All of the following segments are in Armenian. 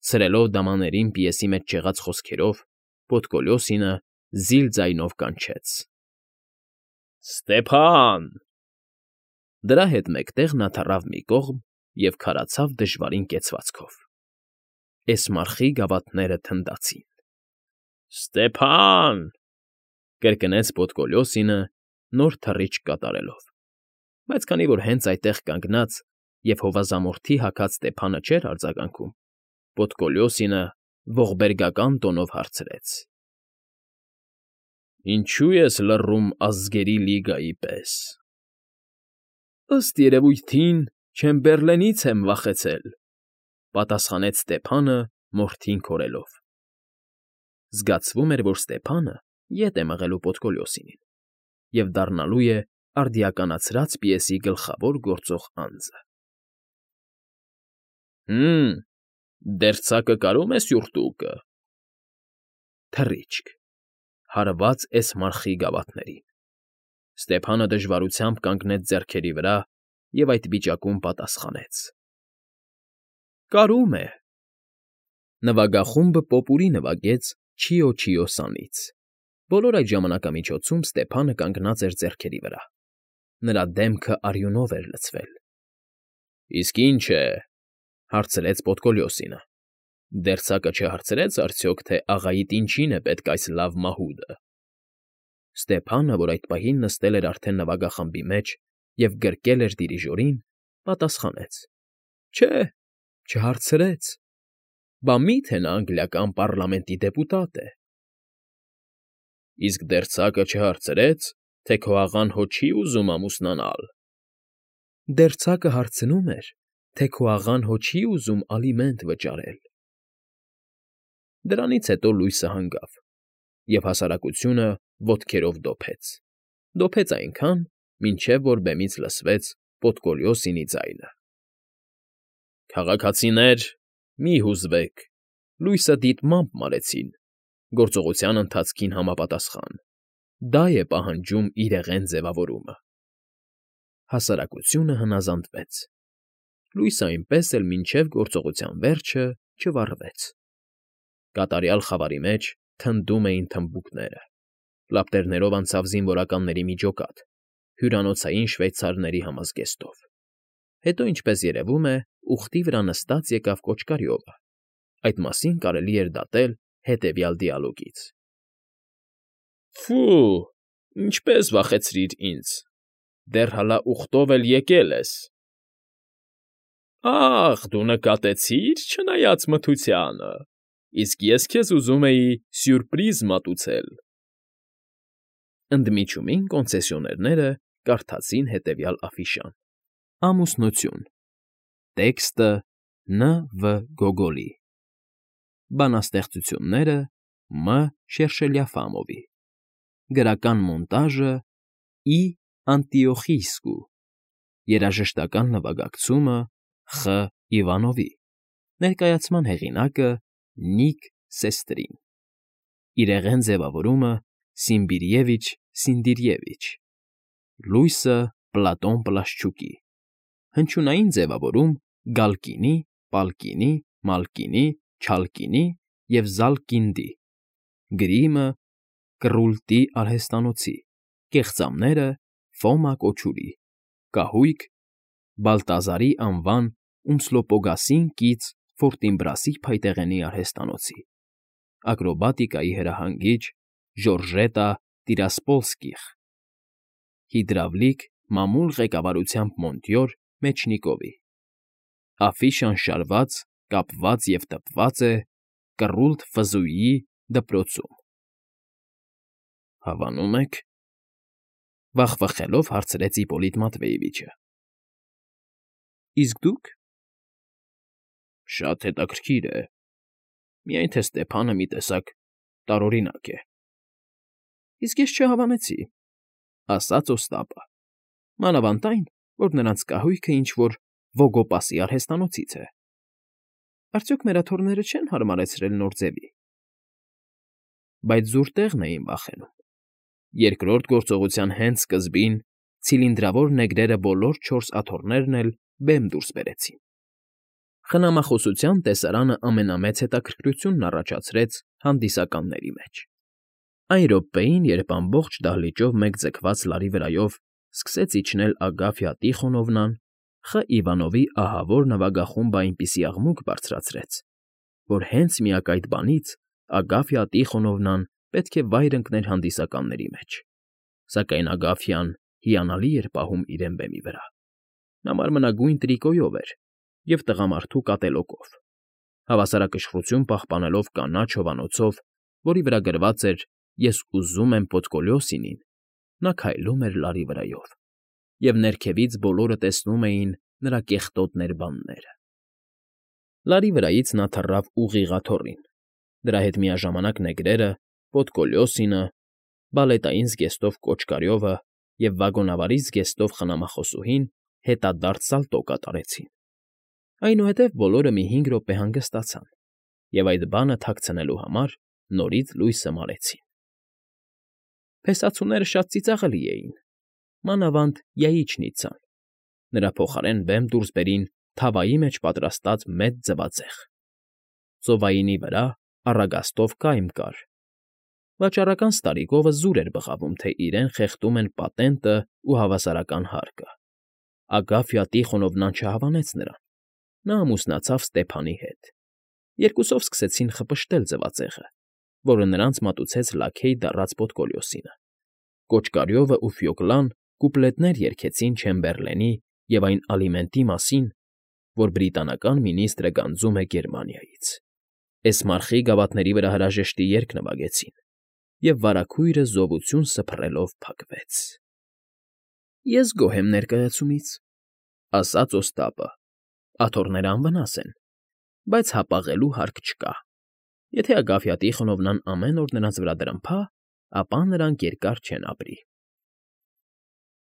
Ցրելով դամաներին պիեսի մեջ ջեղած խոսքերով, Պոդկոլյոսինը զիլ ձայնով կանչեց. «Ստեփան»։ Դրա հետ մեկտեղ նա թռավ մի կողմ և քարացավ դժվարին կեցվածքով։ Էսմարխի գավաթները թնդացին։ «Ստեփան»։ Կրկնեց Պոդկոլյոսինը, նոր թռիչք կատարելով, բայց քանի որ հենց այդտեղ կանգնած և հովազամորդի հագած Ստեփանը չէր արձագանքում, Պոդկոլյոսինը ողբերգական տոնով հարցրեց. «Ինչո՞ւ ես լռում Ազգերի Լիգայի պես»։ «Ըստ երևույթին Չեմբերլենից եմ վախեցել», պատասխանեց Ստեփանը մորթին քորելով. զգացվում էր, որ Ստեփանը ետ է մղելու Պոդկոլյոսինին և դառնալու է արդիականացրած պիեսի գլխավոր գործող անձը։ Դերձակը կարո՞ւմ է սյուրտուկը։ Թռիչք, հարված Էսմարխի գավաթներին։ Ստեփանը դժվարությամբ կանգնեց ձեռքերի վրա և այդ վիճակում պատասխանեց. «Կարում է»։ Նվագախումբը պոպուրի նվագեց Չիո Սանից։ Բոլոր այդ ժամանակամիջոցում Ստեփանը կանգնած էր ձեռքերի վրա։ Նրա դեմքը արյունով էր լցվել։ «Իսկ ի՞նչ է», հարցրեց Պոդկոլյոսինը։ «Դերձակը չհարցրեց արդյոք, թե աղայիդ ինչին է պետք այս լավ մահուդը»։ Ստեփանը, որ այդ պահին նստել էր արդեն նվագախմբի մեջ և գրկել էր դիրիժորին, պատասխանեց. «Չէ, չհարցրեց։ Բա մի՞թե նա անգլիական պառլամենտի դեպուտատ է»։ «Իսկ դերձակը չհարցրեց, թե քո աղան հո չի ուզում ամուսնանալ»։ «Դերձակը հարցնում էր, թե քո աղան հո չի ուզում ալիմենտ վճարել»։ Դրանից հետո լույսը հանգավ, և հասարակությունը ոտքերով դոփեց այնքան, մինչև որ բեմից լսվեց Պոդկոլյոսինի ձայնը. «Քաղաքացիներ, մի՛ հուզվեք, լույսը դիտմամբ մարեցին, գործողության ընթացքին համապատասխան, դա է պահանջում իրեղեն ձևավորումը»։ Հասարակությունը հնազանդվեց։ Լույսը այնպես էլ մինչև գործողության վերջը չվառվեց։ Կատարյալ խավարի մեջ թնդում էին թմբուկները։ Լապտերներով անցավ զինվորականների մի ջոկատ, հյուրանոցային շվեյցարների համազգեստով։ Հետո, ինչպես երևում է, ուղտի վրա նստած եկավ կոճկարյովը։ Այդ մասին կարելի էր դատել հետևյալ դիալոգից. «Ֆու, ինչպես վախեցրիր ինձ, դեռ հլա ուղտով էլ եկել ես»։ «Ախ, դու նկատեցի՞ր, չնայած մթությանը, իսկ ես քեզ ուզում էի սյուրպրիզ մատուցել»։ Ընդմիջումին կոնցեսիոներները կարդացին հետևյալ աֆիշան. Ամուսնություն։ Տեքստը՝ Ն.Վ. Գոգոլի։ Բանաստեղծությունները՝ Մ. Շերշելյաֆամովի։ Գրական մոնտաժը՝ Ի. Անտիոխիսկու։ Երաժշտական նվագակցումը՝ Խ. Իվանովի։ Ներկայացման հեղինակը՝ Նիկ Սեստրին։ Իրեղեն ձևավորումը՝ Սիմբիրյևիչ Սինդիրյևիչ։ Լույսը՝ Պլատոն Պլաշչուկի։ Հնչյունային ձևավորում՝ Գալկինի, Պալկինի, Մալկինի, Չալկինի և Զալկինդի։ Գրիմը՝ Կռուլտի արհեստանոցի։ Կեղծամները՝ Ֆոմա Կոչուրի։ Կահույք՝ Բալտազարի անվան Ումսլոպոգասին կից Ֆորտինբրասի փայտեղենի արհեստանոցի։ Ակրոբատիկայի հրահանգիչ՝ Ժորժետա Տիրասպոլսկիխ։ Հիդրավլիկ մամուլ ղեկավարությամբ Մոնտյոր Մեչնիկովի։ Աֆիշան շարված, կապված և տպված է Կռուլտ Ֆզուիի դպրոցում։ Հավանո՞ւմ եք, վախվխելով հարցրեց Իպոլիտ Մատվեևիչը։ Իսկ դուք։ Շատ հետաքրքիր է, միայն թե Ստեփանը մի տեսակ տարօրինակ է։ Իսկ ես չհավանեցի, ասաց Օստապը, մանավանդ այն, որ նրանց կահույքը ինչ֊որ Վոգոպասի արհեստանոցից է։ Արդյոք մեր աթոռները չեն հարմարեցրել նոր ձևի։ Բայց զուր տեղն էին վախենում։ Երկրորդ գործողության հենց սկզբին ցիլինդրավոր նեգրերը բոլոր չորս աթոռներն էլ բեմ դուրս բերեցին։ Խնամախոսության տեսարանը ամենամեծ հետաքրքրությունն առաջացրեց հանդիսականների մեջ։ Այն րոպեին, երբ ամբողջ դահլիճով մեկ ձգված լարի վրայով սկսեց իջնել Ագաֆյա Տիխոնովնան, Խ. Իվանովի ահավոր նվագախումբը այնպիսի աղմուկ բարձրացրեց, որ հենց միակ այդ բանից Ագաֆյա Տիխոնովնան պետք է վայր ընկներ հանդիսականների մեջ, սակայն Ագաֆյան հիանալի էր պահում իրեն բեմի վրա։ Նա մարմնագույն տրիկոյով էր և տղամարդու կատելոկով, հավասարակշռություն պահպանելով կանաչ հովանոցով, որի վրա գրված էր «Ես ուզում եմ Պոդկոլյոսինին», նա քայլում էր լարի վրայով, և ներքևից բոլորը տեսնում էին նրա կեղտոտ ներբանները։ Լարի վրայից նա թռավ ուղիղ աթոռին, դրա հետ միաժամանակ նեգրերը, Պոդկոլյոսինը, բալետային զգեստով Կոճկարյովը և վագոնավարի զգեստով խնամախոսուհին հետադարձ սալտո կատարեցին։ Այնուհետև բոլորը մի 5 րոպե հանգստացան և այդ բանը թաքցնելու համար նորից լույսը մարեցին։ Փեսացուները շատ ծիծաղելի էին, մանավանդ Յայիչնիցան, նրա փոխարեն բեմ դուրս բերին թավայի մեջ պատրաստած մեծ ձվածեղ։ Ծովայինի վրա առագաստով կայմ կար։ Վաճառական Ստարիկովը զուր էր բղավում, թե իրեն խեղդում են պատենտը ու հավասարական հարկը։ Ագաֆյա Տիխոնովնան չհավանեց նրան։ Նա ամուսնացավ Ստեփանի հետ։ Երկուսով սկսեցին խպշտել ձվածեղը, որը նրանց մատուցեց լաքեյ դառած Պոդկոլյոսինը։ Կոճկարյովը ու Ֆյոկլան կուպլետներ երգեցին Չեմբերլենի և այն ալիմենտի մասին, որ բրիտանական մինիստրը գանձում է Գերմանիայից։ Էսմարխի գավաթների վրա հրաժեշտի երգ նվագեցին, և վարագույրը զովություն սփռելով փակվեց։ Ես գոհ եմ ներկայացումից, ասաց Օստապը։ Աթոռները անվնաս են, բայց հապաղելու հարկ չկա։ Եթե Ագաֆյա Տիխոնովնան ամեն օր նրանց վրա դրմփա, ապա նրանք երկար չեն ապրի։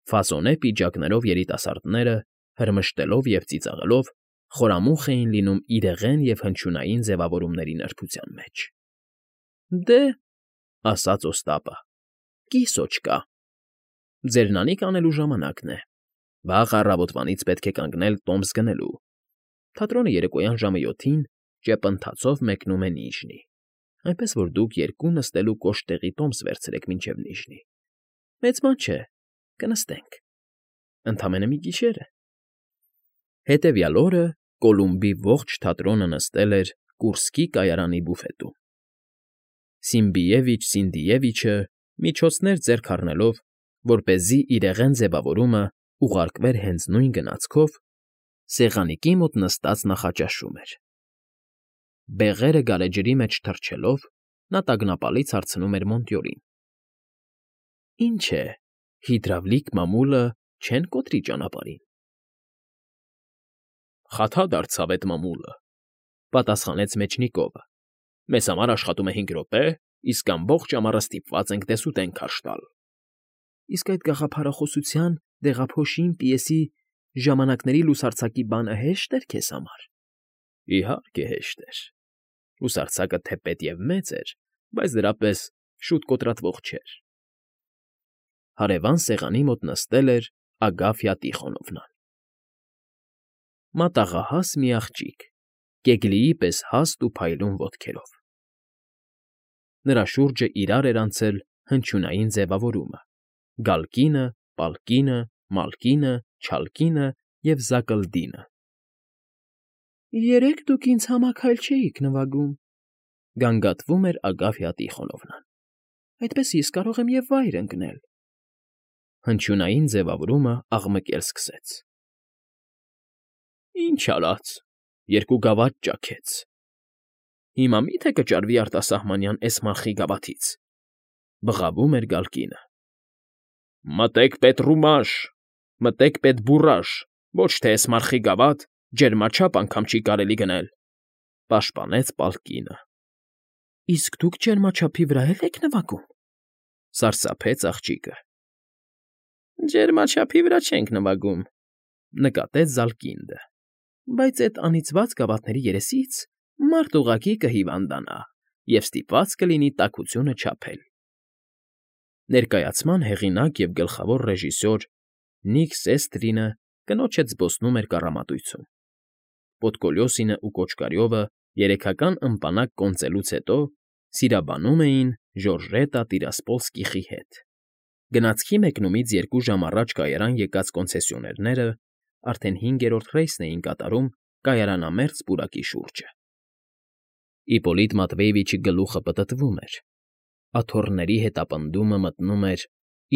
Ֆասոնե պիջակներով երիտասարդները, հրմշտելով և ծիծաղելով, խորամուխ էին լինում իրեղեն և հնչյունային ձևավորումների նրբության մեջ։ Դե, ասաց Օստապը, կիսո չկա։ Ձերնանիք անելու ժամանակն է։ Վաղ առավոտվանից պետք է կանգնել տոմս գնելու։ Թատրոնը երեկոյան ժամը 7-ին ճեպընթացով մեկնում է Նիժնի, այնպես որ դուք երկու նստելու կոշտ տեղի տոմս վերցրեք մինչև Նիժնի։ Մեծ բան չէ, կնստենք։ Ընդամենը մի գիշեր է։ Հետևյալ օրը Կոլումբի ողջ թատրոնը նստել էր Կուրսկի կայարանի բուֆետում։ Սիմբիևիչ֊Սինդիևիչը միջոցներ ձեռք առնելով, որպեսզի իրեղեն ձևավորումը ուղարկվեր հենց նույն գնացքով, սեղանիկի մոտ նստած նախաճաշում էր։ Բեղերը գարեջրի մեջ թռչելով, նա տագնապալից հարցնում էր Մոնտյորին. Ինչ է, հիդրավլիկ մամուլը չեն կոտրի ճանապարհին։ Խաթա դարձավ էդ մամուլը, պատասխանեց Մեջնիկովը։ Մեզ համար աշխատում է 5 րոպե, իսկ ամբողջ ամառը ստիպված ենք դեսուդեն քարշ տալ։ Իսկ այդ գաղափարախոսության, դեղափոշին, պիեսի, ժամանակների լուսարձակի բանը հեշտ էր քեզ համար։ Իհարկե հեշտ էր։ Լուսարձակը թեպետ և մեծ էր, բայց դրա պես շուտ կոտրատվող չէր։ Հարևան սեղանի մոտ նստել էր Ագաֆյա Տիխոնովնան։ Մատաղահաս մի աղջիկ, կեգլիի պես հաստ ու փայլուն ոտքերով։ Նրա շուրջը իրար էր անցել հնչյունային ձևավորումը՝ գալկինը, պալկինը, մալկինը, չալկինը և զակլդինը։ Երեկ դուք ինձ համաքայլ չէիք նվագում, գանգատվում էր Ագաֆյա Տիխոնովնան։ Այդպես ես կարող եմ և վայր ընկնել։ Հնչյունային ձևավորումը աղմկել սկսեց։ Ինչ արած, երկու գավաթ ճաքեց։ Հիմա մի՞թե կճարվի արտասահմանյան Էսմարխի գավաթից, բղավում էր գալկինը։ Մտեք Պետրումաշ, մտեք Պետբուրաշ, ոչ թե Էսմարխի գավաթ, ջերմաչափ անգամ չի կարելի գնել, պաշտպանեց պալկինը։ Իսկ դուք ջերմաչափի վրա եք նվագում, սարսափեց աղջիկը։ Ջերմաչափի վրա չենք նվագում, նկատեց Զալկինդը, բայց այդ անիծված գավաթների երեսից մարդ ուղղակի կհիվանդանա և ստիպված կլինի տաքությունը չափել։ Ներկայացման հեղինակ և գլխավոր ռեժիսոր Նիք Սեստրինը կնոջ հետ զբոսնում էր կառամատույցում։ Պոդկոլյոսինը ու Կոճկարյովը երեքական ըմպանակ կոնծելուց հետո սիրաբանում էին Ժորժետա Տիրասպոլսկիխի հետ։ Գնացքի մեկնումից 2 ժամ առաջ կայարան եկած կոնցեսիոներները արդեն 5-րդ ռեյսն էին կատարում կայարանամերձ պուրակի շուրջը։ Իպոլիտ Մատվեևիչի գլուխը պտտվում էր, աթոռների հետապնդումը մտնում էր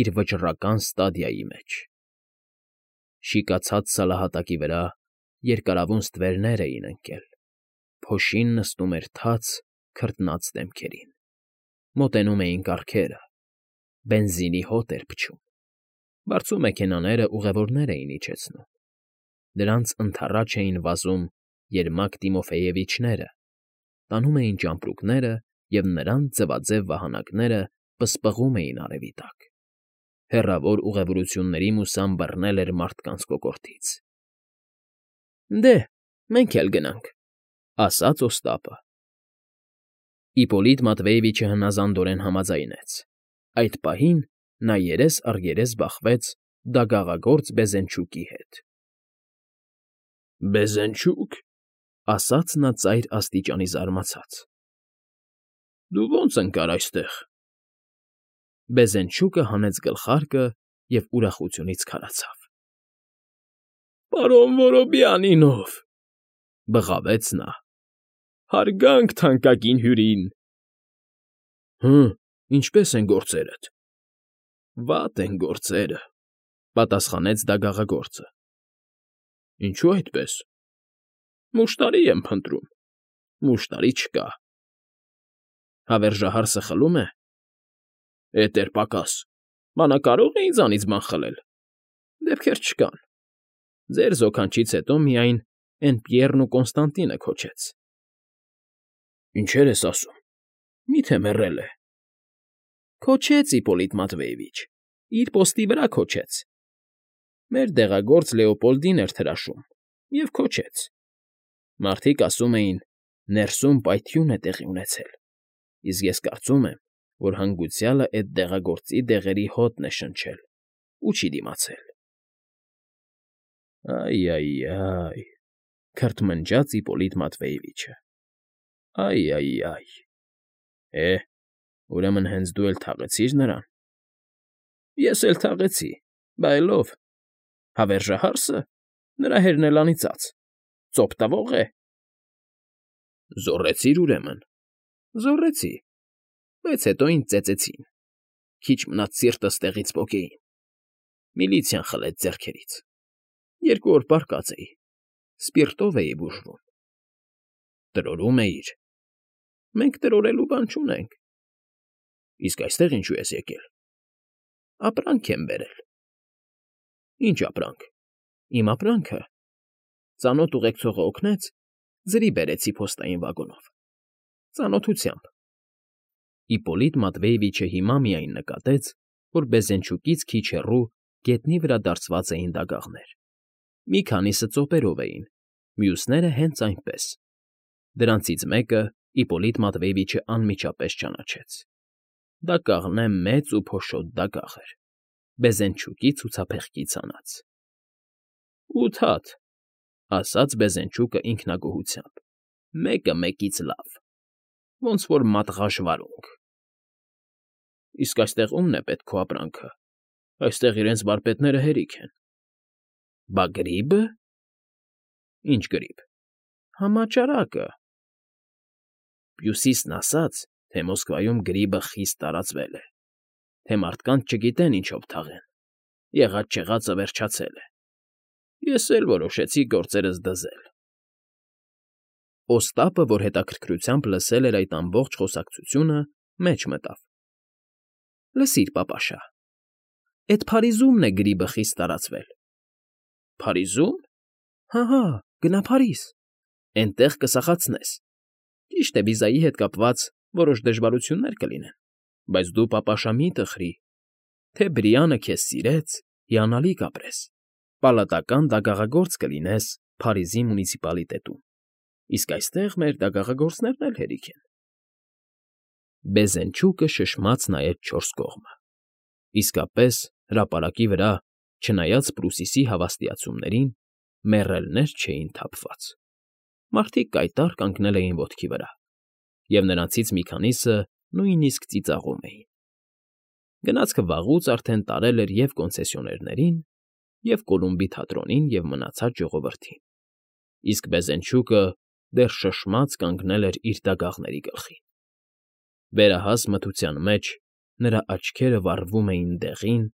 իր վճռական ստադիայի մեջ։ Շիկացած սալահատակի վրա երկարավուն ստվերներ էին ընկել, փոշին նստում էր թաց, քրտնած դեմքերին, մոտենում էին կառքերը, բենզինի հոտ էր փչում, բարձու մեքենաները ուղևորներ էին իջեցնում, դրանց ընդառաջ էին վազում Երմակ Տիմոֆեևիչները, տանում էին ճամպրուկները և նրանց ձվաձև վահանակները պսպղում էին արևի տակ։ Հեռավոր ուղևորությունների մուսան բռնել էր մարդկանց կոկորդից։ Դե, մենք էլ գնանք, ասաց Օստապը։ Իպոլիտ Մատվեևիչը հնազանդորեն համաձայնեց։ Այդ պահին նա երես առ երես բախվեց դագաղագործ Բեզենչուկի հետ։ Բեզենչուկ, ասաց նա ծայր աստիճանի զարմացած։ Դու ո՞նց ընկար այստեղ։ Բեզենչուկը հանեց գլխարկը և ուրախությունից քարացավ։ Պարոն Որոբյանինով, բղավեց նա, հարգանք թանկագին հյուրին։ Ինչպե՞ս են գործերդ։ Վատ են գործերը, պատասխանեց դագաղագործը։ Ինչու այդպես։ Մուշտարի եմ փնտրում, մուշտարի չկա։ Հավերժահարսը խլում է։ Էդ էր պակաս, մանա կարող է ինձանից բան խլել։ Դեպքեր չկան։ Ձեր զոքանչից հետո միայն էն Պիեռն ու Կոնստանտինը քոչեց։ Ինչեր ես ասում, մի՞թե մեռել է։ Քոչեց Իպոլիտ Մատվեևիչ, իր պոստի վրա քոչեց։ Մեր դեղագործ Լեոպոլդին էր թրաշում և քոչեց։ Մարդիկ ասում էին, ներսում պայթյուն է տեղի ունեցել, իսկ ես կարծում եմ, որ հանգուցյալը էդ դեղագործի դեղերի հոտն է շնչել ու չի դիմացել։ Այ, քրթմնջաց Իպոլիտ Մատվեևիչը։ Այ, ուրեմն հենց դու էլ թաղեցիր նրան։ Ես էլ թաղեցի, բա այլով։ Հավերժահարսը, նրա հերն էլ անիծած, ծոպ տվող է։ Զոռեցիր ուրեմն։ Զոռեցի, բայց հետո ինձ ծեծեցին, քիչ մնաց սիրտս տեղից պոկեին։ Միլիցիան խլեց ձեռքերից։ 2 օր պառկած էի, սպիրտով էի բուժվում։ Տրորում էիր։ Մենք տրորելու բան չունենք։ Իսկ այստեղ ինչու ես եկել։ Ապրանք եմ բերել։ Ինչ ապրանք։ Իմ ապրանքը։ Ծանոթ ուղեկցողը օգնեց, ձրի բերեցի փոստային վագոնով։ Ծանոթությամբ։ Իպոլիտ Մատվեևիչը հիմա միայն նկատեց, որ Բեզենչուկից քիչ հեռու գետնի վրա դարսված էին դագաղներ։ Մի քանիսը ծոպերով էին, մյուսները հենց այնպես։ Դրանցից մեկը Իպոլիտ Մատվեևիչը անմիջապես ճանաչեց։ Դա կաղնե մեծ ու փոշոտ դագաղ էր, Բեզենչուկի ցուցափեղկի ցանած։ 8 հատ, ասաց Բեզենչուկը ինքնագոհությամբ, մեկը մեկից լավ, ոնց որ մատղաշ վարունգ։ Իսկ այստեղ ումն է պետք քո ապրանքը, այստեղ իրենց վարպետները հերիք են։ Բա գրիբը։ Ինչ գրիբ։ Համաճարակը։ Հյուսիսն ասաց, թե Մոսկվայում գրիբը խիստ տարածվել է, թե մարդկանց չգիտեն ինչով թաղեն, եղած֊չեղածը վերջացել է։ Ես էլ որոշեցի գործերս դզել։ Օստապը, որ հետաքրքրությամբ լսել էր այդ ամբողջ խոսակցությունը, մեջ մտավ։ Լսիր, պապաշա, էդ Փարիզումն է գրիբը խիստ տարածվել։ Փարիզում։ Հա, գնա Փարիզ, էնտեղ կսախացնես։ Ճիշտ է, վիզայի հետ կապված որոշ դժվարություններ կլինեն, բայց դու, պապաշա, մի տխրի, թե Բրիանը քեզ սիրեց, հիանալի կապրես, պալատական դագաղագործ կլինես Փարիզի մունիցիպալիտետում, իսկ այստեղ մեր դագաղագործներն էլ հերիք են։ Բեզենչուկը շշմաց նայեց 4 կողմը։ Իսկապես, հրապարակի վրա, չնայած Պրուսիսի հավաստիացումներին, մեռելներ չէին թափված։ Մարդիկ կայտառ կանգնել էին ոտքի վրա, և նրանցից մի քանիսը նույնիսկ ծիծաղում էին. գնացքը վաղուց արդեն տարել էր և կոնցեսիոներներին, և Կոլումբի թատրոնին և մնացած ժողովրդին, իսկ վեզենչուկը դեռ շշմած կանգնել էր իր դագաղների գլխին. վերահաս մթության մեջ նրա աչքերը վառվում էին դեղին,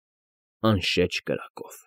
անշեջ կրակով։